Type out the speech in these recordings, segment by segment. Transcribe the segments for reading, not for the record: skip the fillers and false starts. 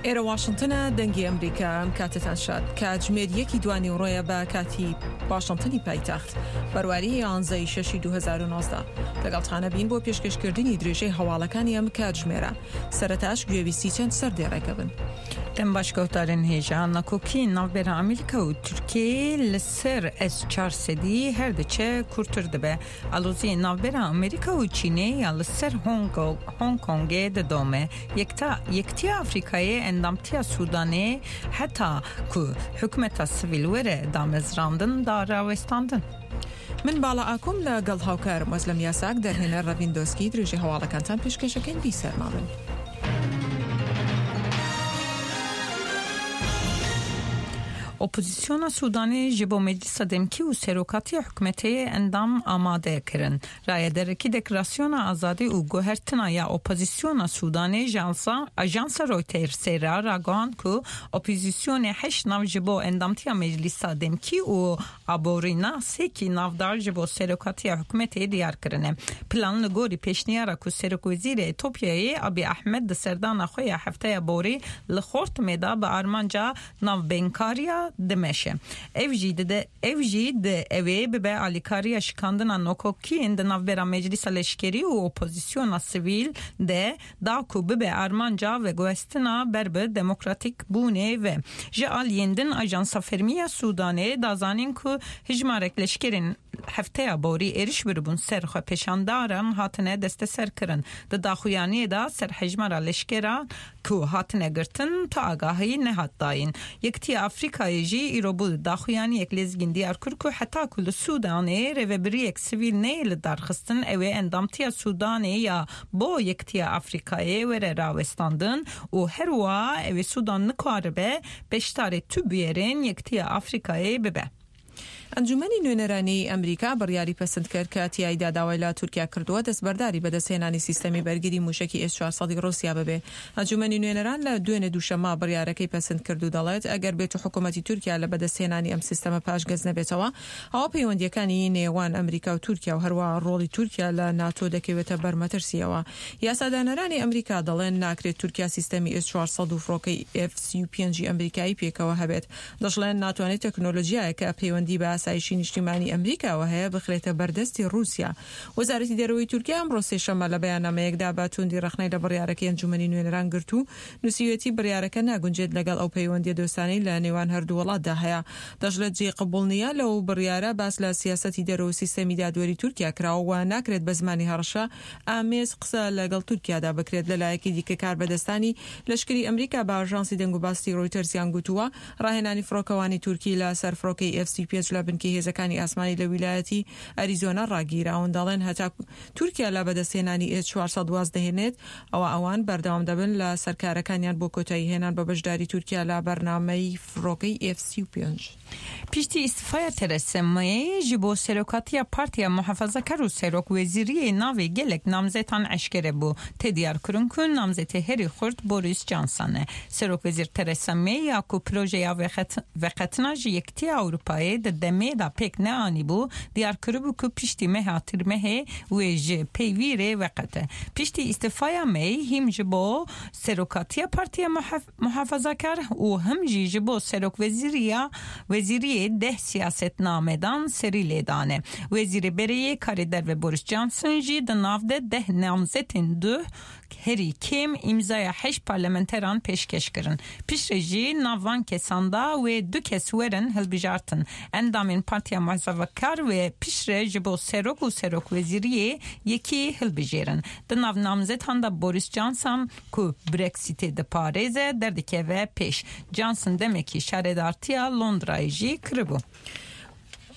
ئێرە واشنتنە دەنگی ئەمریکا ئەم کاتتان شاد کاتژمێر یەکی دوانیوڕۆیە بە کاتی واشنتنی پایتەخت بەرواری یانزەی شەشی 2019 لەگەڵتانە بین بۆ پێشکەشکردنی درێژەی هەواڵەکانی ئەم کاتژمێرە سەرەتاش گوێویستی چەند سەردێڕێکە بن. Dem baş guhdarên hêja nakokiyên navbera Amerîka û Tirkiyeyê li ser S 400 her diçe kûrtir dibe. Aloziyên navbera Amerîka û Çînê ya li ser Hong Kongê didome. Yekitiya Afrîkayê endamtiya Sûdanê heta ku hikûmeta sivîl were damezrandin da rawestandin. من باڵا ئاکۆم لە گەڵ هاوکارم ئەزلەم یاساک دەرهێنەر ڕەڤین دۆسکی درێژەی هەواڵەکانتان پێشکەشەکەین بیسەرمابن. Opozîsyona Sûdanê ji bo Meclisa Demkî û Serokatiya Hikûmetê endam amade kirin. Rayedarekî Deklarasyona Azadî û Guhertina ya Opozîsyona Sûdanê ji Ajansa Reutersê re ragihand ku opozîsyonê heşt nav ji bo endamtiya Meclisa Demkî û Aborînasekî navdar ji bo serokatiya hikûmetê diyar kirine. Plan li gorî pêşniyara ku Serokwezîrê Etopyayê Abiy Ahmed di serdana xwe ya hefteya borî li Xortumê de bi armanca navbeynkariya dimeşe. Ev jî dide ev jî di ew ê bibe alîkariya şikandina nokokiyên di navbera Meclisa Leşkerî û Opozisyona Sivîl de da ku bibe armanca veguhestina ber bi demokratîkbûnê ve. Ji aliyên din Ajansa Fermî ya Sûdanê da zanîn ku hejmarek leşkerên hefteya borî êriş biribûn ser xwepêşandaran hatine desteserkirin. Di daxuyaniyê de ser hejmara leşkeran ku hatine girtin tu agahî nehat dayîn. Yekitiya Afrîkayê jî îro bû daxuyaniyek lezgîn diyar kir ku heta ku li Sûdanê rêvebiriyek sivîl neyê lidarxistin ew ê endamtiya Sûdanê ya bo Yekitiya Afrîkayê were rawestandin û her wiha ew ê Sûdan nikaribe beşdarê tu bûyerên Yekitiya Afrîkayê bibe. ئەنجومەنی نوێنەرانی ئەمریکا بڕیاری پەسند کرد کە تیایدا داوای لە تورکیا کردووە دەستبەرداری بەدەستهێنانی سیستەمی بەرگری موشەکی ئێس 400 ی ڕوسیا ببێ. ئەنجومەنی نوێنەران لە دوێنێ دووشەممە بڕیارەکەی پەسند کرد و دەڵێت ئەگەر بێتو حکومەتی تورکیا لە بەدەستهێنانی ئەم سیستەمە پاشگەز نەبێتەوە ئەوا پەیوەندییەکانی نێوان ئەمریکا و تورکیا و هەروەها ڕۆڵی تورکیا لە ناتۆ دەکەوێتە بەر مەترسییەوە. یاسادانەرانی ئەمریکا دەڵێن ناکرێت تورکیا سیستەمی ئێس 400 و فڕۆکەی ئێف 35 ی ئەمریکایی پێکەوە هەبێت. دەشڵێن ناتوانێت تەکنۆلۆجیایەک کە پەیوەندی بە ئاسایشی نیشتیمانی ئەمریکاوە هەیە بخرێتە بەردەستی ڕووسیا. وەزارەتی دەرەوەی تورکیا ئەمڕۆ سێشەممە لە بەیاننامەیەکدا بە تووندی ڕەخنەی لە بڕیارەکەی ئەنجومەنی نوێنەران گرت و نووسیویەتی بڕیارەکە ناگونجێت لەگەڵ ئەو پەیوەندییە دۆستانەی لە نێوان هەردوو وڵاتدا هەیە. دەشڵێت جێی قبوڵ نییە لەو بڕیارە باس لە سیاسەتی دەرەوە و سیستەمی دادوەری تورکیا کراوە و ناکرێت بە زمانی هەڕەشە ئامێز قسە لەگەڵ تورکیادا بکرێت. لەلایەکی دیکە کاربەدەستانی لەشکری ئەمریکا بە ئاژانسی دەنگوباسی ڕۆیتەرزیان گوتووە، ڕاهێنانی فڕۆکەوانی تورکی لە سەر فڕۆکەی ئێف 35 لە بنکەی هێزەکانی ئاسمانی لە ویلایەتی ئەریزۆنا ڕاگیراون، دەڵێن هەتا تورکیا لە بەدەستهێنانی ئێس 400 واز دەهێنێت، ئەوا ئەوان بەردەوام دەبن لە سەر کارەکانیان بۆ کۆتاییهێنان بە بەشداری تورکیا لە بەرنامەی فڕۆکەی ئێف 35. Piştî îstifaya Theresa May ji bo serokatiya Partiya Muhafazakar û Serokwezîriyê navê gelek namzetan eşkere bû. Tê diyarkirin ku namzetê herî xurt Boris Johnson e. Serokwezîr Theresa May ya ku projeya veqetina ji Yekitiya Ewropayê di demê de pêk neanîbû, diyar kiribû ku piştî meha Tirmehê wê ji peyvîrê veqete. Piştî îstifaya May hîm ji bo serokatiya Partiya Muhafazakar û him jî ji bo serokwezîriya wezîriyê deh siyasetnamedan serî lê dane. Wezîrê berê yê Karê Derve Boris Johnson jî di nav de deh namzetên duh herî kêm îmzaya heşt parlamenteran pêşkeş kirin. Piştre jî nav van kesan da wê du kes werin hilbijartin. Endamên Partiya Muhafazakar wê piştre ji bo serok û serokwezîriyê yekî hilbijêrin. Di nav namzetan de Boris Johnson ku Brexitê diparêze derdikeve pêş. Johnson demekî şaredartiya Londrayê jî kiribû.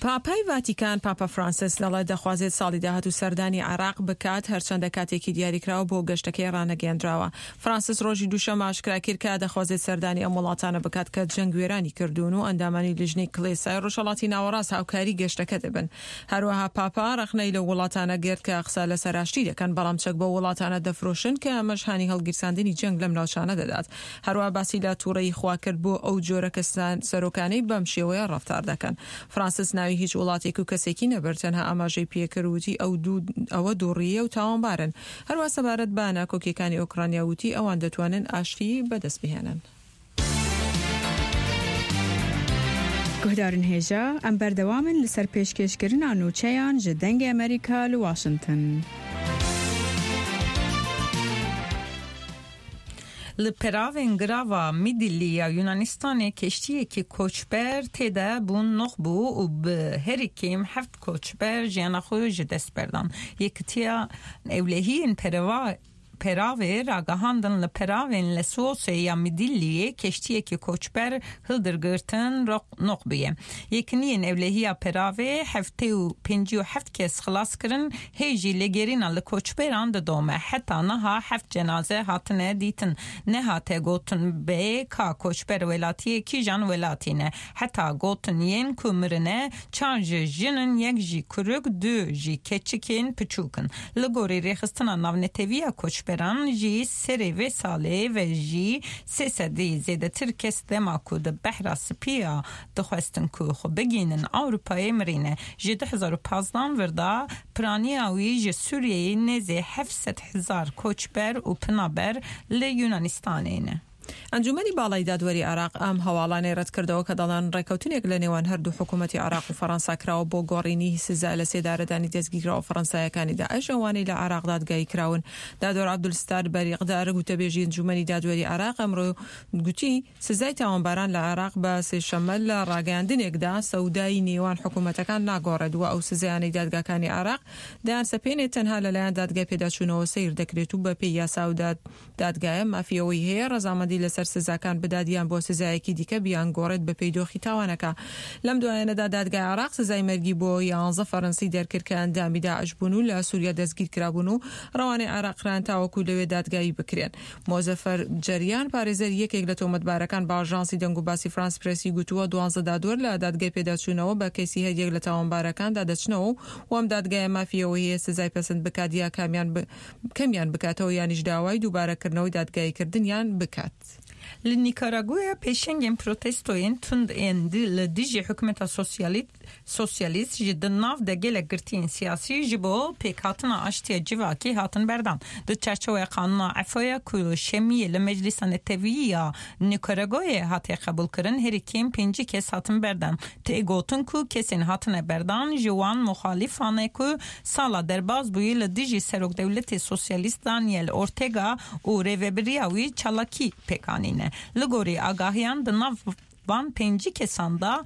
پاپای ڤاتیکان، پاپا فرانسیس دەڵێت دەخوازێت ساڵی داهاتوو سەردانی عێراق بکات، هەرچەندە کاتێکی دیاریکراو بۆ گەشتەکەی ڕانەگەیەندراوە. فرانسیس ڕۆژی دووشەممە ئاشکرای کرد کە دەخوازێت سەردانی ئەم وڵاتانە بکات کە جەنگ وێرانی کردوون و ئەندامانی لیژنەی کڵێسای ڕۆژهەڵاتی ناوەڕاست هاوکاری گەشتەکە دەبن. هەروەها پاپا ڕەخنەی لەو وڵاتانە گرت کە قسە لەسەر ئاشتی دەکەن، بەڵام چەک بەو وڵاتانە دەفرۆشن کە ئەمەش هانی هەڵگیرساندنی جەنگ لەم ناوچانە دەدات. هەروەها باسی لە توڕەیی خوا کرد بۆ ئەو جۆرە کەسان سەرۆکانەی بەم شێوەیە ڕەفتار دەکەن. فرانسیس ناوی. ناوی هیچ وڵاتێک و کەسێکی نەبرد، تەنها ئاماژەی پێکرد وتی ئەو دوو ئەوە دووڕییە و تاوانبارن. هەروا سەبارەت بە ناکۆکییەکانی ئۆکرانیا وتی ئەوان دەتوانن ئاشتی بەدەست بهێنن. Guhdarên hêja, em berdewam in li ser pêşkêşkirina nûçeyan ji Dengê Amerîka li Washington. Li peravên girava Midilli ya Yunanistanê keştiyekî koçber tê de bûn noq bû û bi herî kêm heft koçber jiyana xwe ji dest berdan. Yekitiya Ewlehiyên Peravê ragihandin li peravên Lesvosê ya Midilliyê keştiyekî koçber hildirgirtin noq bûye. Yekiniyên Ewlehiya Peravê 757 kes xilas kirin, hê jî lêgerîna li koçberan didome. Heta niha heft cenaze hatine dîtin. Nehate gotin bê ka koçber welatiyê kîjan welatî ne. Heta gotin yên ku mirine çar ji jin in, yek jî kurik, du jî keçikên piçûk in. Li gorî Rêxistina Navneteviya Koçberan jî serê vê salê ve jî sê sedî zêdetir kes dema ku di Behra Spî ya dixwestin ku xwe bigihînin Ewropayê mirîne. Ji 2015 vir de piraniya wî ji Sûriyeyê nêzê 700,000 koçber û penaber li Yunanistanê ne. ئەنجومەنی باڵای دادوەری عێراق ئەم هەواڵانەی رەتکردەوە کە دەڵێن رێککەوتنێک لە نێوان هەردوو حکومەتی عێراق و فەرەنسا کراوە بۆ گۆڕینی سزای لە سێدارەدانی دەستگیرکراوە فەرەنسایەکانی داعش ئەوانەی لە عێراق دادگایی کراون. دادوەر عەبدولستار بەریقدار گوتەبێژی ئەنجومەنی دادوەری عێراق ئەمڕۆ گوتی سزای تاوانباران لە عێراق بە سێشەممە لە راگەیاندنێکدا سەودای نێوان حکومەتەکان ناگۆڕێت و ئەو سزایانەی دادگاکانی عێراق دەیانسەپێنێت تەنها لەلایەن دادگای پێداچوونەوە سەیر دەکرێت و بەپێی یاسا و دادگایە مافی ئەوەی هەیە ڕەزامەندی لەسەر سزاکان بدات یان بۆ سزایەکی دیکە بیانگۆڕێت بەپێی دۆخی تاوانەکە. لەم دوایانەدا دادگای عێراق سزای مەرگی بۆ یانزە فەرەنسی دەرکرد کە ئەندامی داعش بوون و لە سوریا دەستگیرکرابوون و ڕەوانەی عێراق کران تاوەکو لەوێ دادگایی بکرێن. مۆزەفەر جەریان پارێزەری یەکێک لە تۆمەتبارەکان بە ئاژانسی دەنگوباسی فرانس پرێسی گوتووە دوانزە دادوەر لە دادگای پێداچوونەوە بە کەیسی هەریەک لە تاوانبارەکاندا دەچنەوە و ئەم دادگایە مافی ئەوەی هەیە سزای پەسند بکات یا کامیان کەمیان بکاتەوە یانیش داوای دووبارەکردنەوەی دادگاییکردنیان بکات. Li Nîkaragûyê pêşengên protestoyên tund ên li dijî hikûmeta sosyalîst ji di nav de gelek girtiyên siyasî ji bo pêkhatina aştiya civakî hatin berdan. Di çerçoveya qanûna efoya ku şemiyê li Meclîsa Netewî ya Nîkaragûyê hatiye qebûlkirin herî kêm 50 kes hatin berdan. Tê gotin ku kesên hatine berdan ji wan muxalîfan e ku sala derbas bûyî li dijî Serokdewletê Sosyalîst Daniel Ortega û rêveberiya wî çalakî pêk anîne. Li gorî agahiyan di nav van 50 kesan da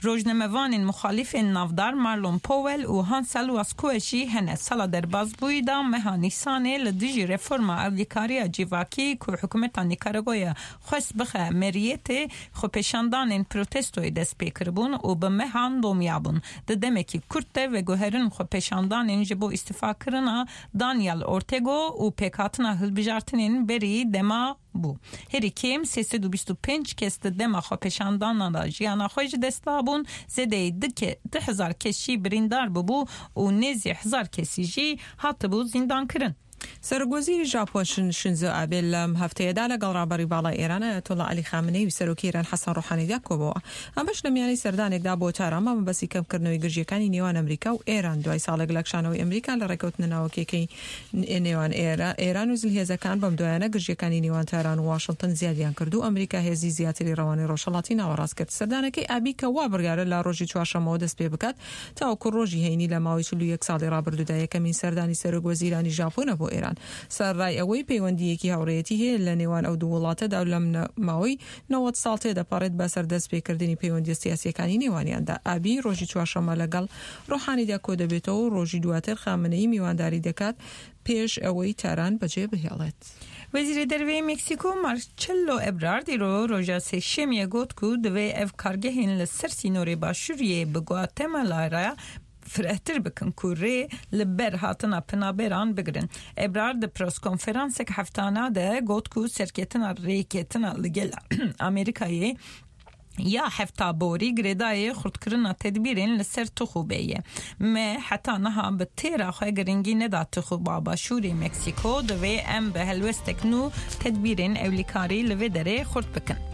rojnamevanên muxalîfên navdar Marlon Powell û Hansel Vasquez jî hene. Sala derbas bûyî da meha Nîsanê li dijî reforma ewlîkariya civakî ku hikûmeta Nîkaragûayê xwest bixe meriyetê xwepêşandanên protestoyê dest pê kiribûn û bi mehan domiyabûn. Di demekî kurt de veguherin xwepêşandanên ji bo îstîfakirina Daniel Ortega û pêkhatina hilbijartinên berî dema bû. Herî kêm 325 kes di dema xwepêşandanan de jiyana xwe ji dest dabûn, zêdeyî 2000 kes jî birîndar bûbû û nêzî 1000 kesî jî hatibû zîndankirin. سەرۆکوەزیری ژاپۆن شینزۆ ئابێ لەم هەفتەیەدا لەگەڵ ڕابەری باڵای ئێران ئایەتوڵا عەلی خامنەیی و سەرۆکی ئێران حەسەن ڕۆحانیدا کۆبۆوە. ئەمەش لە میانەی سەردانێکدا بۆ تاران بە مەبەستی کەمکردنەوەی گرژییەکانی نێوان ئەمریکا و ئێران دوای ساڵێک لە کشانەوەی ئەمریکا لە ڕێککەوتنە ناوەکییەکەی نێوان ئێران و زلهێزەکان بەم دوایانە گرژییەکانی نێوان تاران و واشنتن زیادیان کرد و ئەمریکا هێزی زیاتری ڕەوانەی ڕۆژهەڵاتی ناوەڕاست کرد. سەردانەکەی ئابی کە وا بڕیارە لە ڕۆژی چوارشەممەوە دەست پێ بکات تاوەکو ڕۆژی هەینی لە ماوەی 41 ساڵی ڕابردوودا یەکەمین سەردانی سەرۆک وەزیرانی ژاپۆنە بۆ ئێران سەرەڕای ئەوەی پەیوەندییەکی هاوڕێیەتی هەیە لە نێوان ئەو دوو وڵاتەدا و لەم ماوەی 90 ساڵ تێدەپەڕێت بەسەر دەستپێکردنی پەیوەندییە سیاسییەکانی نێوانیاندا. ئابی ڕۆژی چوارشەممە لەگەڵ ڕۆحانیدا کۆدەبێتەوە و ڕۆژی دواتر خامنەیی میوانداری دەکات پێش ئەوەی تاران بەجێ بهێڵێت. وەزیرê Derve yê Meksîko Marcelo Ebrard îro roja Sêşemiyê got ku divê ev kargehên li ser sînorê Başûriyê bi Guatemala re firehtir bikin ku rê li ber hatina penaberan bigirin. Ebrard di preskonferansek heftana de got ku serketina rêketina li gel Amerîkayê ya hefta borî girêdayê xurtkirina tedbîrên li ser tixûbê ye. Me heta niha bi têra xwe giringî neda tixûba Başûrê Meksîko divê em bi helwestek nû tedbîrên ewlîkarî li vê derê xurt bikin.